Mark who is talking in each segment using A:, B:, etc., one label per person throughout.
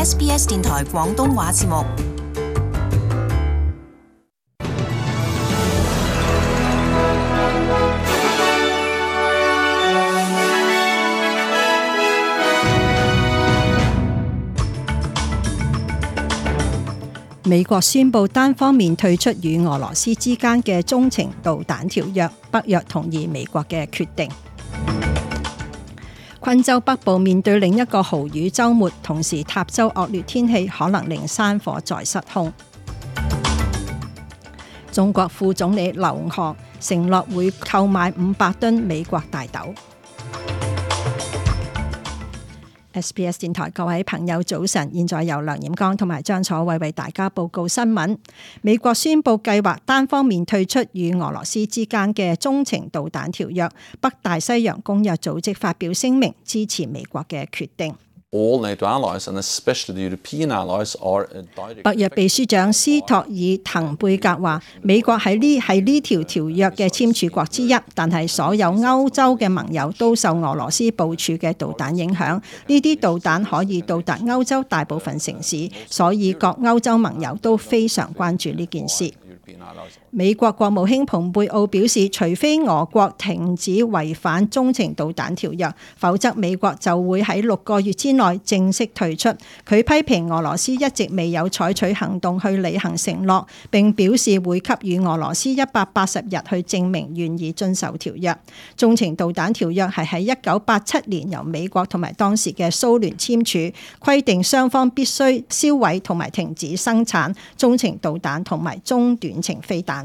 A: SBS 電台廣東話節目。
B: 美國宣布單方面退出與俄羅斯之間嘅中程導彈條約，北約同意美國嘅決定。昆州北部面對另一個豪雨週末，同時塔州惡劣天氣可能令山火再失控。中國副總理劉鶴承諾會購買500噸美國大豆。SBS 電台各位朋友早晨，現在由梁彥剛同埋張楚慧為大家報告新聞。美國宣布計劃單方面退出與俄羅斯之間嘅中程導彈條約，北大西洋公約組織發表聲明支持美國嘅決定。北約秘書長斯托爾滕貝格話：美國係呢條條約嘅簽署國之一，但係所有歐洲嘅盟友都受俄羅斯部署嘅導彈影響。呢啲導彈可以到達歐洲大部分城市，所以各歐洲盟友都非常關注呢件事。美國國務卿蓬佩奧表示，除非俄國停止違反中程導彈條約，否則美國就會喺6個月之內正式退出。佢批評俄羅斯一直未有採取行動去履行承諾，並表示會給予俄羅斯180日去證明願意遵守條約。中程導彈條約係喺1987年由美國同埋當時嘅蘇聯簽署，規定雙方必須銷毀同埋停止生產中程導彈同埋中短程飛彈。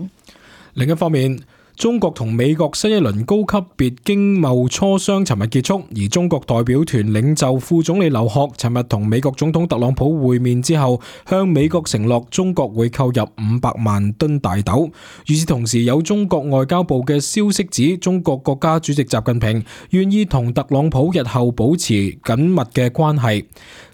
C: 另一方面，中國同美國新一輪高級別經貿磋商尋日結束，而中國代表團領袖副總理劉鶴尋日同美國總統特朗普會面之後，向美國承諾中國會購入500萬噸大豆。與此同時，有中國外交部嘅消息指，中國國家主席習近平願意同特朗普日後保持緊密嘅關係。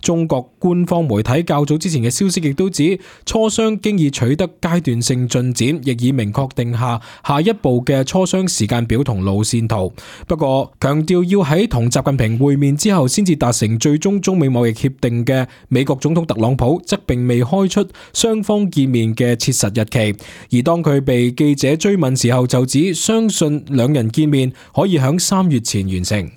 C: 中國官方媒體較早之前嘅消息亦都指，磋商經已取得階段性進展，亦已明確定下一步嘅磋商時間表同路線圖。不過強調要喺同習近平會面之後先至達成最終中美貿易協定嘅美國總統特朗普則並未開出雙方見面嘅切實日期。而當佢被記者追問時候，就指相信兩人見面可以喺3月前完成。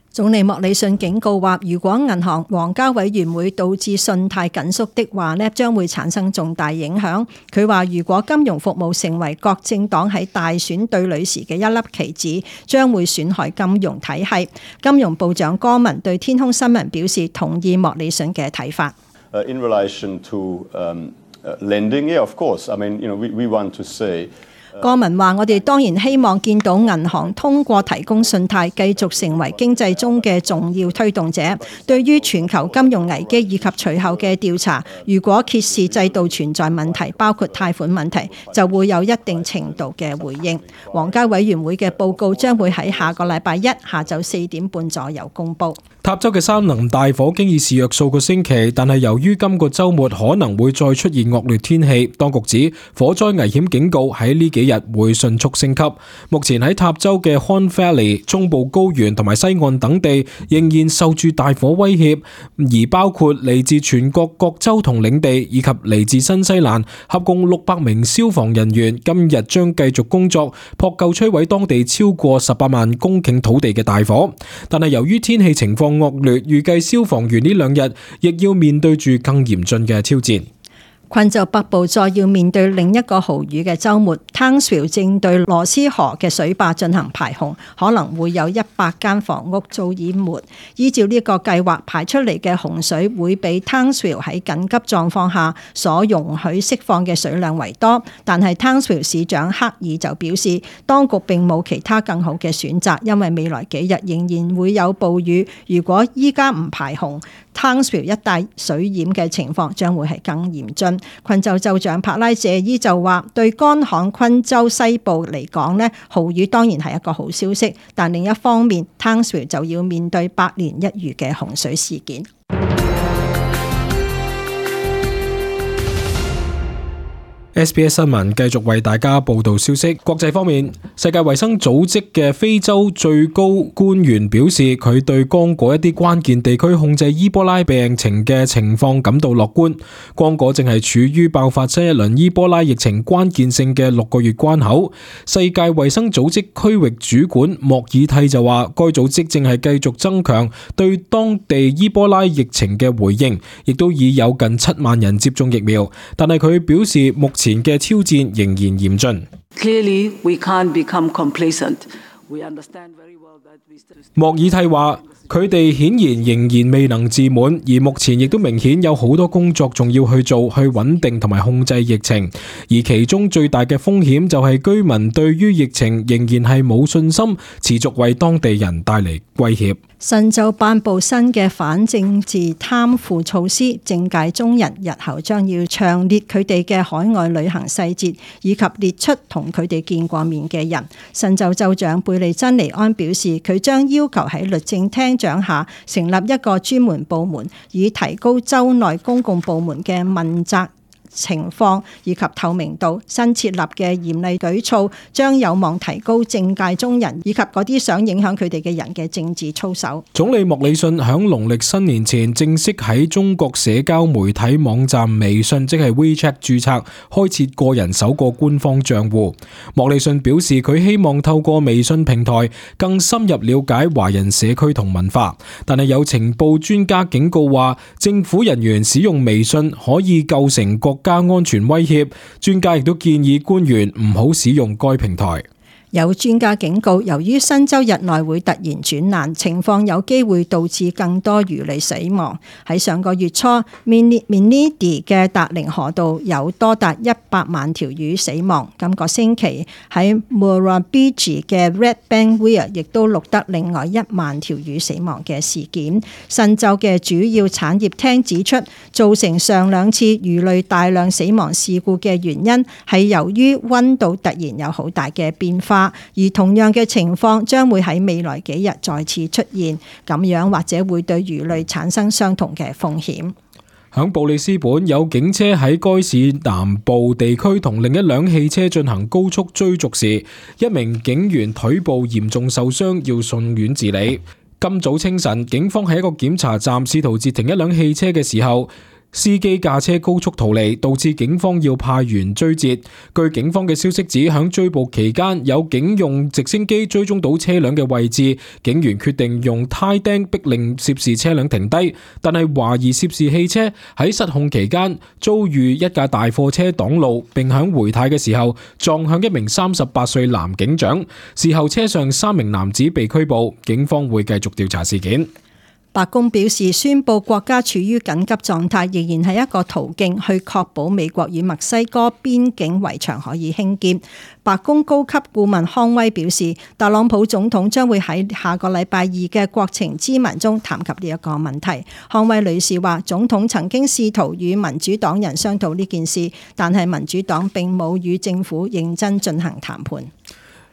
B: 總理莫里遜警告話，如果銀行皇家委員會導致信貸緊縮的話呢，將會產生重大影響。佢話，如果金融服務成為各政黨喺大選對壘時嘅一粒棋子，將會損害金融體系。金融部長戈文對天空新聞表示同意莫里遜嘅睇法。
D: In relation to lending, yeah, of course. I mean, we want to say.
B: 戈文話：我哋當然希望見到銀行通過提供信貸，繼續成為經濟中嘅重要推動者。對於全球金融危機以及隨後嘅調查，如果揭示制度存在問題，包括貸款問題，就會有一定程度嘅回應。皇家委員會嘅報告將會喺下個禮拜一下晝4點半左右公佈。
C: 塔州嘅山林大火經已肆虐數個星期，但係由於今個週末可能會再出現惡劣天氣，當局指火災危險警告喺呢幾日會迅速升級。目前喺塔州嘅 Huon Valley、中部高原同埋西岸等地仍然受住大火威脅，而包括嚟自全國各州同領地以及嚟自新西蘭，合共600名消防人員今日將繼續工作，撲救摧毀當地超過18萬公頃土地嘅大火。但係由於天氣情況惡劣，預計消防員呢2日亦要面對住更嚴峻嘅挑戰。
B: 昆州北部再要面對另一個豪雨嘅週末 ，Townsville 正對羅斯河嘅水壩進行排洪，可能會有100間房屋遭淹沒。依照呢個計劃，排出嚟嘅洪水會比 Townsville 喺緊急狀況下所容許釋放嘅水量為多，但係 Townsville 市長克爾就表示，當局並冇其他更好嘅選擇，因為未來幾日仍然會有暴雨。如果依家唔排洪，Townsville 一帶水淹嘅情況將會係更嚴峻。昆州州長帕拉謝伊就話：對乾旱昆州西部嚟講呢，豪雨當然係一個好消息，但另一方面 Townsville 就要面對百年一遇嘅洪水事件。
C: SBS 新聞繼續為大家報道消息。國際方面，世界衛生組織嘅非洲最高官員表示，佢對剛果一啲關鍵地區控制伊波拉病情嘅情況感到樂觀。剛果正係處於爆發新一輪伊波拉疫情關鍵性嘅6個月關口。世界衛生組織區域主管莫爾蒂就話，該組織正係繼續增強對當地伊波拉疫情嘅回應，亦都已有近7萬人接種疫苗。但係佢表示，目前嘅挑戰仍然嚴峻。
E: Clearly, we can't become complacent. We understand very well that we still...
C: 莫爾蒂話，佢哋顯然仍然未能自滿，而目前亦都明顯有好多工作仲要去做，去穩定同埋控制疫情。而其中最大嘅風險就係居民對於疫情仍然係冇信心，持續為當地人帶嚟威脅。
B: 新州頒布新嘅反政治貪腐措施，政界中人日後將要詳列佢哋嘅海外旅行細節，以及列出同佢哋見過面嘅人。新州州長貝利珍尼安表示，佢將要求喺律政廳長下成立一個專門部門，以提高州內公共部門嘅問責情況以及透明度。新設立嘅嚴厲舉措將有望提高政界中人以及嗰啲想影響佢哋嘅人嘅政治操守。
C: 總理莫里遜響農曆新年前正式喺中國社交媒體網站微信即係 WeChat 註冊，開設個人首個官方賬戶。莫里遜表示，佢希望透過微信平台更深入了解華人社區同文化，但係有情報專家警告話，政府人員使用微信可以構成國家安全威脅，專家亦都建議官員唔好使用該平台。
B: 有專家警告，由於新州日內會突然轉爛，情況有機會導致更多魚類死亡。喺上個月初 Minidi 嘅達靈河道有多達100萬條魚死亡。今個星期喺 Murrumbidgee 嘅 Redbank Weir 亦都錄得另外1萬條魚死亡嘅事件。新州嘅主要產業廳指出，造成上2次魚類大量死亡事故嘅原因係由於溫度突然有好大嘅變化。而同樣嘅情況將會喺未來幾日再次出現，咁樣或者會對魚類產生相同嘅風險。
C: 響布里斯本，有警車喺該市南部地區同另一輛汽車進行高速追逐時，一名警員腿部嚴重受傷，要送院治理。今早清晨，警方喺一個檢查站試圖截停一輛汽車嘅時候，司機駕車高速逃離，導致警方要派員追截。據警方嘅消息指，響追捕期間，有警用直升機追蹤到車輛嘅位置，警員決定用呔釘逼令涉事車輛停低，但係懷疑涉事汽車喺失控期間遭遇一架大貨車擋路，並響回軚嘅時候撞向一名38歲男警長。事後車上3名男子被拘捕，警方會繼續調查事件。
B: 白宮表示，宣布國家處於緊急狀態仍然係一個途徑，去確保美國與墨西哥邊境圍牆可以興建。白宮高級顧問康威表示，特朗普總統將會喺下個禮拜2嘅國情咨文中談及呢一個問題。康威女士話，總統曾經試圖與民主黨人商討呢件事，但係民主黨並冇與政府認真進行談判。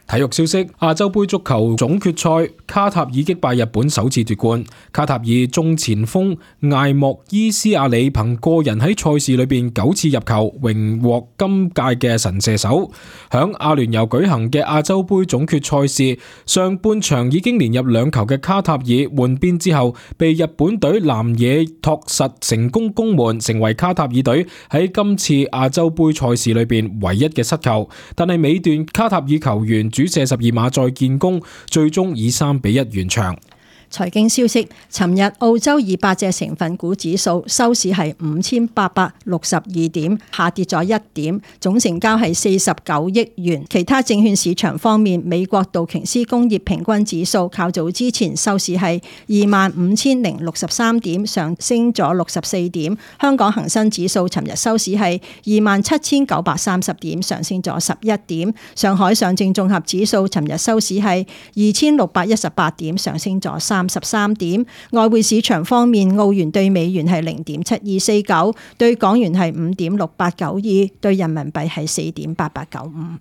C: 體育消息：亞洲盃足球總決賽，卡塔爾擊敗日本首次奪冠。卡塔爾中前鋒艾莫伊斯亞里憑個人喺賽事裏邊9次入球，榮獲今屆嘅神射手。響阿聯酋舉行嘅亞洲盃總決賽事，上半場已經連入2球嘅卡塔爾換邊之後，被日本隊南野拓實成功攻門，成為卡塔爾隊喺今次亞洲盃賽事裏邊唯一嘅失球。但係尾段卡塔爾球員主射12碼再建功，最終以3-1完場。
B: 財經消息：尋日澳洲200隻成分股指數收市係5862點，下跌咗1點，總成交係49億元。其他證券市場方面，美國道瓊斯工業平均指數較早之前收市係25,063點，上升咗64點。香港恒生指數尋日收市係27,930點，上升咗11點。上海上證綜合指數尋日收市係2,618點，上升咗33點。外匯市場方面，澳元對美元係0.7249，對港元係5.6892，對人民幣係4.8895。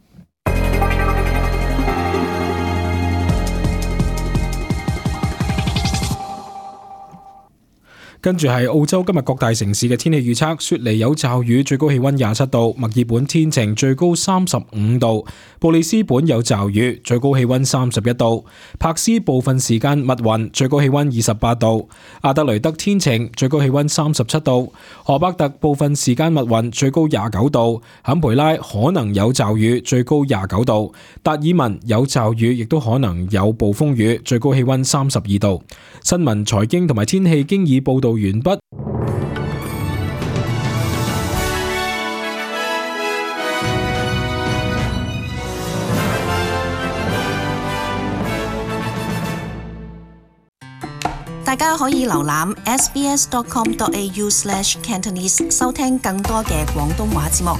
C: 跟住係澳洲今日各大城市嘅天氣預測：雪梨有驟雨，最高氣溫27度；墨爾本天晴，最高35度；布里斯本有驟雨，最高氣溫31度；柏斯部分時間密雲，最高氣溫28度；阿德雷德天晴，最高氣溫37度；荷伯特部分時間密雲，最高29度；坎培拉可能有驟雨，最高29度；達爾文有驟雨，亦都可能有暴風雨，最高氣溫32度。新聞、財經同埋天氣經已報道完畢。
A: 大家可以瀏覽 sbs.com.au/Cantonese 收聽更多嘅廣東話節目。